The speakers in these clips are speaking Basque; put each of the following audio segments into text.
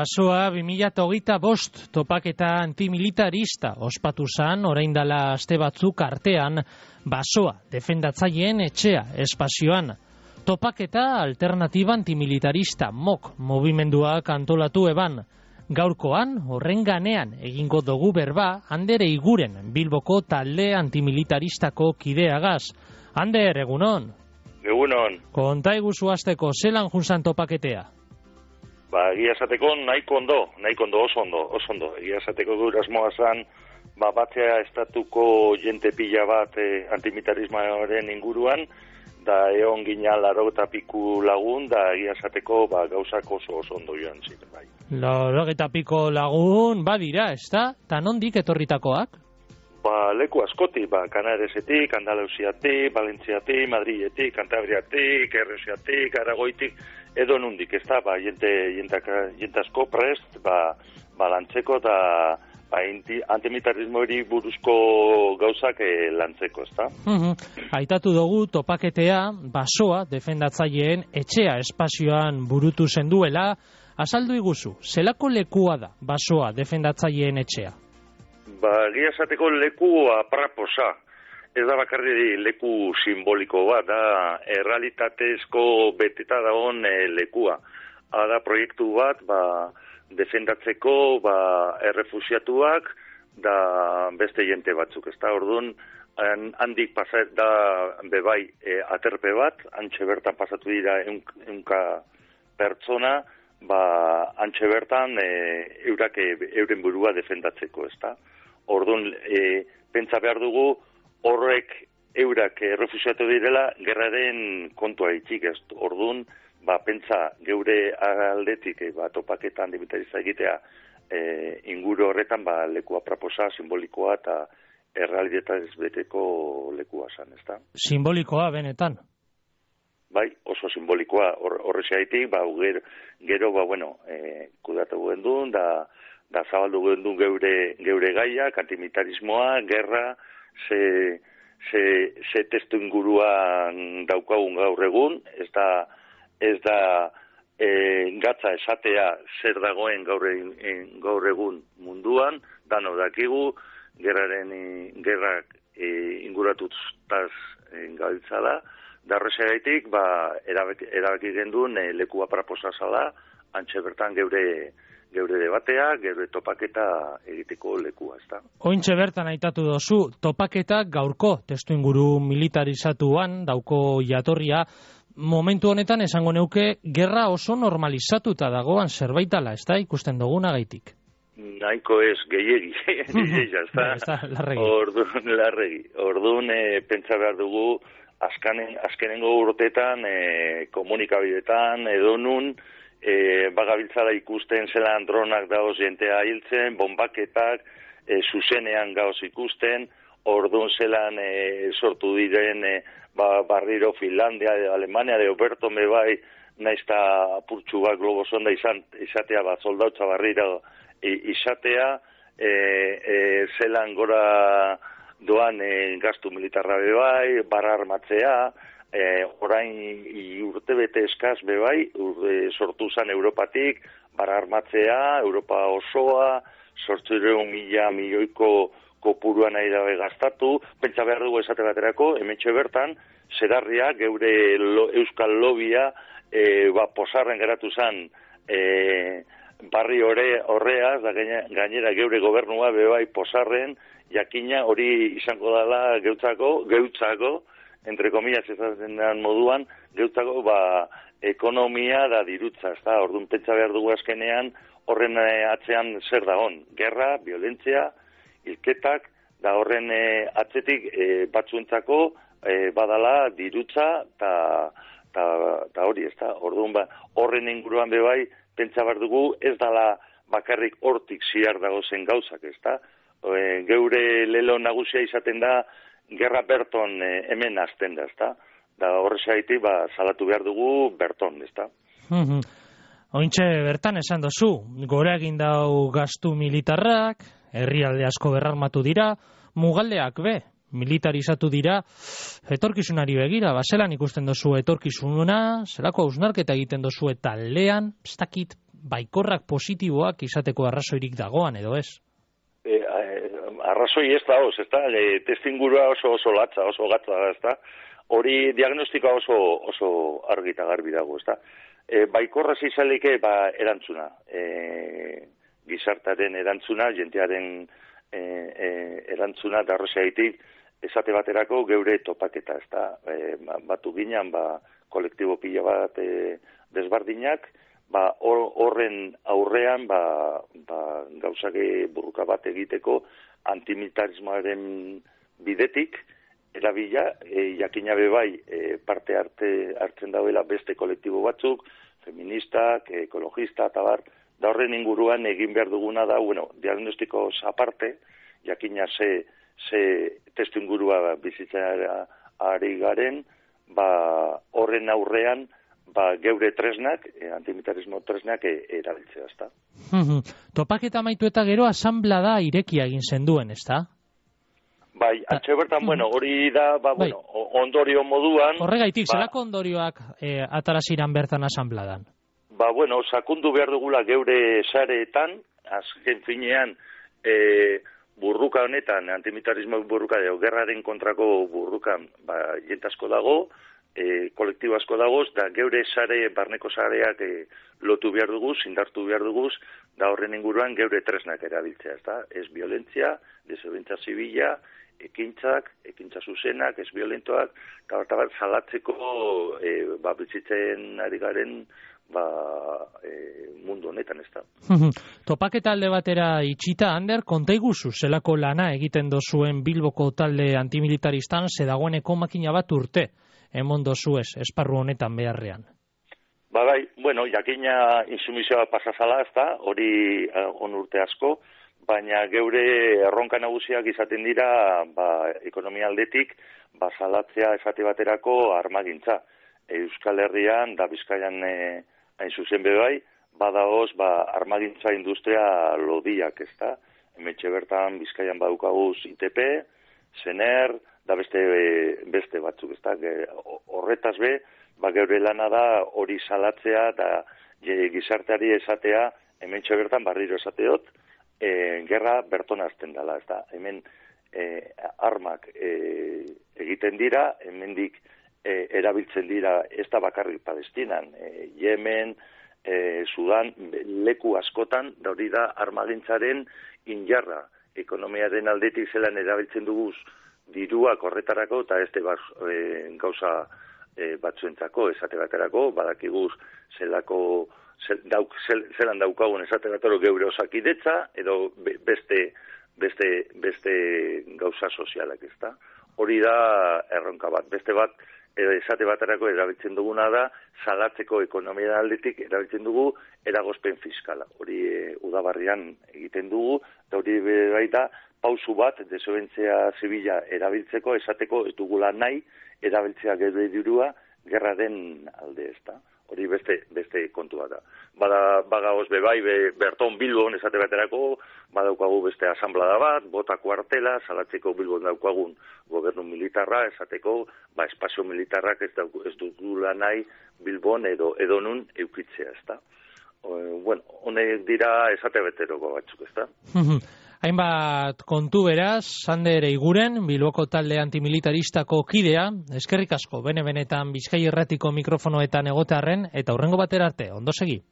Basoa 2025 topaketa antimilitarista ospatu zan, orain dela aste batzuk artean, Basoa defendatzaileen etxea espazioan. Topaketa alternatiba antimilitarista MOK movimenduak antolatu eban. Gaurkoan, horren ganean egingo dugu berba, Ander Eiguren Bilboko talde antimilitaristako kideagaz. Ander, egunon? Egunon. Konta eguzu hasteko, zelan junzan topaketea? Egia esateko nahiko ondo, oso ondo. Egia esateko gure asmoa zan, batzea estatuko jente pila bat antimilitarismoaren inguruan, da egon gina 80 piku lagun, da egia esateko gauzak oso ondo joan ziren, bai. 80 piku lagun, badira, ez da? Ta nondik etorritakoak? Leku askoti, Kanaresetik, Andaluziatik, Valentziatik, Madriletik, Cantabriatik, Erresiatik, Aragoitik, edo nundik, ez da, jente asko prest, lantzeko eta antimilitarismo buruzko gauzak lantzeko, ez da? Aitatu dugu topaketea, Basoa defendatzaileen etxea espazioan burutu zenduela, azaldu iguzu, zelako lekua da Basoa defendatzaileen etxea? Egia esateko leku apraposa. Ez da bakarri leku simboliko bat, da errealitatezko beteta dagoen lekua. Da proiektu bat, defendatzeko errefusiatuak, da beste jente batzuk. Ez da, orduan, handik pasat da bebai aterpe bat, antxe bertan pasatu dira eunka pertsona, antxe bertan euren burua defendatzeko, ez da. Orduan, pentsa behar dugu, horrek eurak errefusiatu direla, gerraren kontua itxik ez. Orduan, pentsa geure aldetik topaketa antimilitarista egitea inguru horretan leku apraposa, simbolikoa eta errealitatez beteko lekua zan, ez da? Simbolikoa, benetan? Bai, oso simbolikoa horrexaitik, gero, kudatu gendun, da zabaldu gendun geure gaiak, antimilitarismoa, gerra, ze testu inguruan daukagun gaur egun, ez da gatza esatea zer dagoen gaur egun munduan, dano dakigu, gerrak inguratutaz gabiltza da horrexegaitik, erabaki gendun leku apraposa zala, antxe bertan geure debatea, geure topaketa egiteko lekua, ez da. Ointxe bertan aitatu dozu, topaketa gaurko testuinguru militarizatuan dauko jatorria, momentu honetan esango neuke gerra oso normalizatuta dagoan zerbaitala, ez da, ikusten dugunagaitik? Nahiko ez, gehiegi, ez da. Larregi. Orduan, pentsa behar dugu, azkenengo urteetan, komunikabidetan, edo nun, bagabiltzala ikusten zelan dronak daoz jentea hiltzen, bombaketak, zuzenean gauz ikusten, orduan zelan sortu diren barriro Finlandia, Alemania, de Oberto mebai, naizta apurtxu bat globo sonda izatea, soldautza barriro izatea, zelan gora doan gastu militarra bebai, barra armatzea, orain urtebete eskaz bebai, sortu zan Europatik, barra armatzea, Europa osoa, 800.000 milioiko kopuruan nahi dabe gastatu, pentsa behar dugu esate baterako, hementxe bertan, zerarria, geure euskal lobia, posarren geratu zan, barri horreaz, da gainera geure gobernua bebai posarren, jakina hori izango dela geutzako, entre comillas ezatzen den moduan, geutzako ekonomia da dirutza, ez da, orduan pentsa behar dugu azkenean, horren atzean zer dagon, gerra, violentzia, hilketak, da horren atzetik batzuentzako badala dirutza, eta hori, ez da, orduan horren inguruan bebai, pentsa behar dugu, ez dala bakarrik hortik ziar dagozen gauzak, ez da, geure lelo nagusia izaten da, gerra berton hemen azten da, ezta? Da horrexaitik salatu behar dugu berton, ezta? Ointxe bertan esan dozu, gora egin dau gastu militarrak, herrialde asko berrarmatu dira, mugaldeak militarizatu dira, etorkizunari begira, zelan ikusten dozu etorkizuna, zelako hausnarketa egiten dozu eta taldean, ez dakit, baikorrak positiboak izateko arrazoirik dagoan, edo ez? Arrazoi ez da, testingurua oso latza, oso gatza da, ez da. Hori diagnostikoa oso argi eta garbi dago, ez da. Baikorra zizalike, erantzuna. Gizartaren erantzuna, jentearen erantzuna, da horrezaitik, esate baterako geure topaketa, ez da. Batu ginean, kolektibo pila bat desbardinak, horren aurrean, gauzake burruka bat egiteko antimilitarismoaren bidetik, erabila, jakina bebai parte hartzen dauela beste kolektibo batzuk, feministak, ekologista, eta bar, da horren inguruan egin behar duguna da, diagnostiko aparte, jakina ze testu ingurua bizitzera ari garen, horren aurrean, geure tresnak, antimilitarismo tresnak erabiltzea, ezta. Topaketa amaitu eta gero asanblada irekia egin zenduen, ezta? Bai, atxe bertan, hori da, ondorio moduan... Horregaitik, zelako ondorioak ataraziran bertan asanbladan? Sakundu behar dugula geure sareetan, azken finean, burruka honetan, antimilitarismo burruka, gerraren kontrako burrukan, jentasko dago, kolektibo asko dagoz, da geure sare, barneko sareak lotu behar duguz, indartu behar duguz, da horren inguruan geure tresnak erabiltzea, ez violentzia, desobedientzia zibila, ekintza zuzenak, ez violentoak, eta bat salatzeko bizitzen ari garen mundu honetan, ez da. Topaketa alde batera itxita, Ander, konta iguzu, zelako lana egiten dozuen Bilboko talde antimilitaristan, zedagoeneko makina bat urte, emon dozuez, esparru honetan beharrean. Jakina insumizioa pasazala, ez da, hori on urte asko, baina geure erronka nagusiak izaten dira, ekonomia aldetik, salatzea esate baterako armagintza. Euskal Herrian, da Bizkaian hain zuzen bebai, badaoz, armagintza industria lodiak, ez da. Hementxe bertan Bizkaian badukaguz ITP, Sener, da beste batzuk, ez da. Horretaz geure lana da hori salatzea eta gizarteari esatea, hementxe bertan barriro esateot, gerra berton azten dela, ez da. Hemen armak egiten dira, hemendik erabiltzen dira, ez da bakarrik Palestinan, Yemen, Sudan, leku askotan, da hori da armagintzaren injarra, ekonomiaren aldetik zelan erabiltzen duguz diruak horretarako, eta ez gauza batzuentzako, esate baterako, badakiguz zelan daukagun esate batero geure osakidetza, edo beste gauza sozialak, ez da. Hori da erronka bat. Beste bat, esate baterako erabiltzen duguna da, salatzeko ekonomia aldetik erabiltzen dugu eragozpen fiskala. Hori udabarrian egiten dugu, eta hori baita pausu bat, desobentzia zibila erabiltzeko, esateko ez dugula nahi, erabiltzea geure dirua, gerraren alde, ez da. Hori beste kontua da. Bagaoz bebai, Berton Bilbon esate baterako, badaukagu beste asanblada bat, bota kuartela, salatzeko Bilbon daukagun gobernu militarra, esateko, espazio militarrak ez dugula nahi Bilbon edo nun eukitzea, ez da. Honek dira esate bateroko batzuk, ez da. Hainbat kontu beraz, Ander Eiguren, Bilboko talde antimilitaristako kidea, eskerrik asko, benetan Bizkai Irratiko mikrofonoetan egotearren, eta hurrengo batera arte, ondo segi.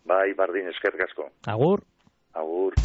Bai, bardin, eskerrik asko. Agur. Agur.